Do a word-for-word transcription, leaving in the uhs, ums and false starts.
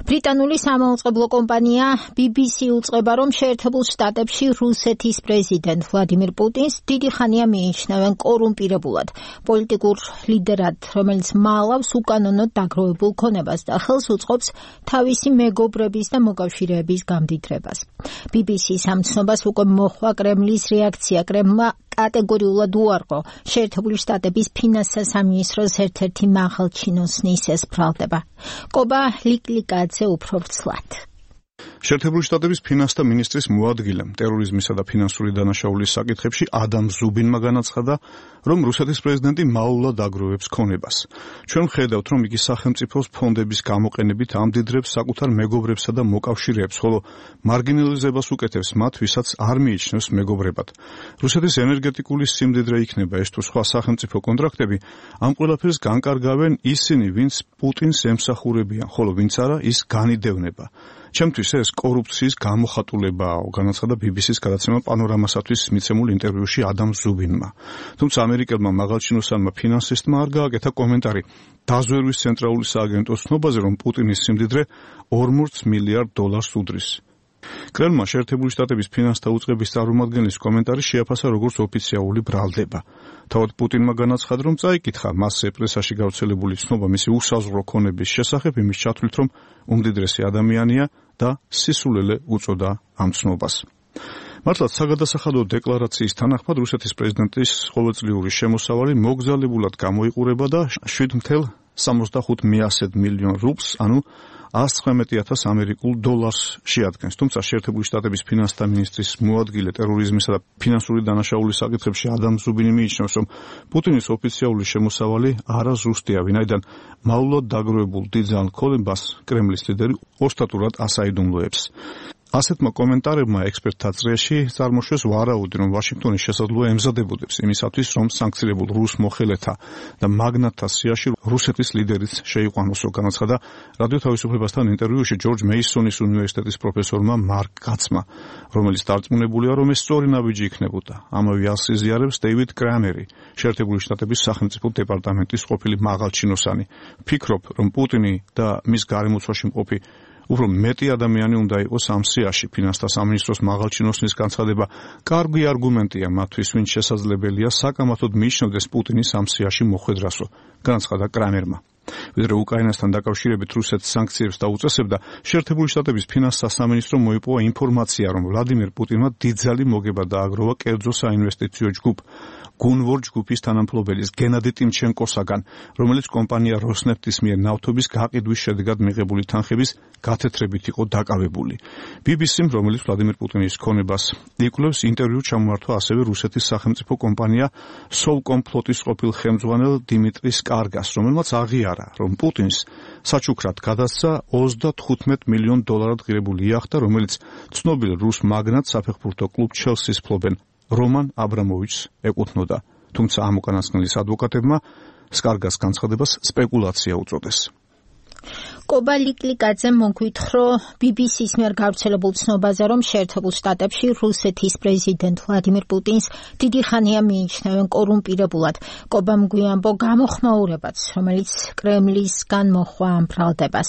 ბრიტანული სამაუწყებლო კომპანია ბი ბი სი უწყება, რომ შეერთებულ შტატებში რუსეთის პრეზიდენტ ვლადიმირ პუტინს დიდი ხანია მიიჩნევენ კორუმპირებულად პოლიტიკურ ლიდერად, რომელიც მალავს უკანონოდ დაგროვებულ ქონებას და ხელს უწყობს თავისი მეგობრების და მოკავშირეების გამდიდრებას. ბი ბი სის ამ ცნობას უკვე მოჰყვა კრემლის რეაქცია. კრემლმა კატეგორიულად უარყო შეერთებული შტატების ფინანსთა სამინისტროს ერთ-ერთი მაღალჩინოსნის ეს ბრალდება. კობა ლიკლიკაძე უფრო ვრცლად. შეერთებული შტატების ფინანსთა მინისტრის მოადგილემ ტერორიზმისა და ფინანსური დანაშაულის საკითხებში ადამ ზუბინმა განაცხადა, რომ რუსეთის პრეზიდენტი მაულად აგროვებს ქონებას. ჩვენ ვხედავთ, რომ იგი სახელმწიფოს ფონდების გამოყენებით ამდიდრებს საკუთარ მეგობრებსა და მოკავშირეებს, ხოლო მარგინალიზებას უკეთებს მათ, ვისაც არ მიიჩნევს მეგობრებად. რუსეთის ენერგეტიკული სიმდიდრე იქნება ეს თუ სხვა სახელმწიფო კონტრაქტები, ამ ყველაფერს განკარგავენ ისინი, ვინც პუტინს ემსახურებიან, ხოლო ვინც არა, ის განიდევნება. ჩემთვის ეს კორუფციის გამოხატულებაა, განაცხადა ბი ბი სის გადაცემა პანორამასათვის მიცემულ ინტერვიუში ადამ ზუბინმა. თუმცა ამერიკელმა მაღალჩინოსანმა ფინანსისტმა არ გააკეთა კომენტარი დაზვერვის ცენტრალური სააგენტოს ცნობაზე, რომ პუტინის სიმდიდრე ორმოც მილიარდ დოლარს უდრის. კრემლმა შეერთებული შტატების ფინანსთა უწყების წარმომადგენლის კომენტარი შეაფასა როგორც ოფიციალური ბრალდება. თავად პუტინმა განაცხადა, რომ წაიკითხა მასზე პრესაში გავრცელებული ცნობა მისი უსაზღვრო ქონების შესახებ, იმის ჩათვლით, რომ უმდიდრესი ადამიანია და სისულელე უწოდა ამ ცნობას. მართლაც საგადასახადო დეკლარაციის თანახმად რუსეთის პრეზიდენტის ყოველწლიური შემოსავალი მოგზალებულად გამოიყურება და შვიდ მთვარე სამოცდახუთ მილიონ რუბლს, ანუ ას ცხრამეტი ათას ამერიკულ დოლარს შეადგენს. თუმცა შეერთებული შტატების ფინანსთა მინისტრის მოადგილე ტერორიზმისა და ფინანსური დანაშაულის საკითხებში ადამ ზუბინი მიიჩნევს, რომ პუტინის ოფიციალური შემოსავალი არაზუსტია, ვინაიდან მაულად დაგროვებულ დიდძალ ქონებას კრემლის ლიდერი ოსტატურად ასაიდუმლოებს. ასეთმა კომენტარებმა ექსპერტთა წრეში წარმოშვეს ვარაუდი, რომ ვაშინგტონი შესაძლოა ემზადებოდებს იმისათვის, რომ სანქციებულ რუს მოხელეთა და მაგნატთა სიაში რუსეთის ლიდერიც შეიყვანოსო, განაცხადა რადიო თავისუფლებასთან ინტერვიუში ჯორჯ მეისონის უნივერსიტეტის პროფესორმა მარკ კაცმა, რომელიც დარწმუნებულია, რომ ეს სწორი ნაბიჯი იქნებოდა. ამავე ას იზიარებს დეივიდ კრამერი, შეერთებული შტატების სახელმწიფო დეპარტამენტის ყოფილი მაღალჩინოსანი. ვფიქრობ, რომ პუტინი და მის გარემოცვაში მყოფი უფრო მეტი ადამიანი უნდა იყოს ამ სიაში. ფინანსთა სამინისტროს მაღალჩინოსნის განცხადება კარგი არგუმენტია მათთვის, ვინც შესაძლებელია საკამათოდ მიიჩნევდეს პუტინის ამ სიაში მოხვედრასო, განაცხადა კრამერმა. ვიდრე უკრაინასთან დაკავშირებით რუსეთს სანქციებს დაუწესებდა, შეერთებული შტატების ფინანსთა სამინისტრო მოიპოვა ინფორმაცია, რომ ვლადიმირ პუტინმა დიდძალი მოგება დააგროვა კერძო საინვესტიციო ჯგუფ გუნვორ ჯგუფის თანამფლობელის გენადი ტიმჩენკოსაგან, რომელიც კომპანია როსნეფტის მიერ ნავთობის გაყიდვის შედეგად მიღებული თანხების გათეთრებით იყო დაკავებული. ბი ბი სიმ, რომელიც ვლადიმირ პუტინის ქონებას იკვლევს, ინტერვიუ ჩამოართვა ასევე რუსეთის სახელმწიფო კომპანია სოვკომ ფლოტის ყოფილ ხელმძღვანელ დიმიტრი სკარგას, რომელმაც აღიარა, რომ პუტინს საჩუქრად გადასცა ოცდათხუთმეტ მილიონ დოლარად ღირებული იახტა, რომელიც ცნობილ რუს მაგნატ საფეხბურთო კლუბ ჩელსის მფლობელ რომან აბრამოვიჩს ეკუთვნოდა. თუმცა ამ უკანასკნელის ადვოკატებმა სკარგას განცხადებას სპეკულაცია უწოდეს. კობა ლიკლიკაძემ მოგვითხრა ბი ბი სის მიერ გავრცელებულ ცნობაზე, რომ შეერთებულ შტატებში რუსეთის პრეზიდენტ ვლადიმირ პუტინს დიდი ხანია მიიჩნევენ კორუმპირებულად. კობამ გვიანბო გამოხმაურებაც, რომელიც კრემლისგან მოჰყვა ამ ბრალდებას.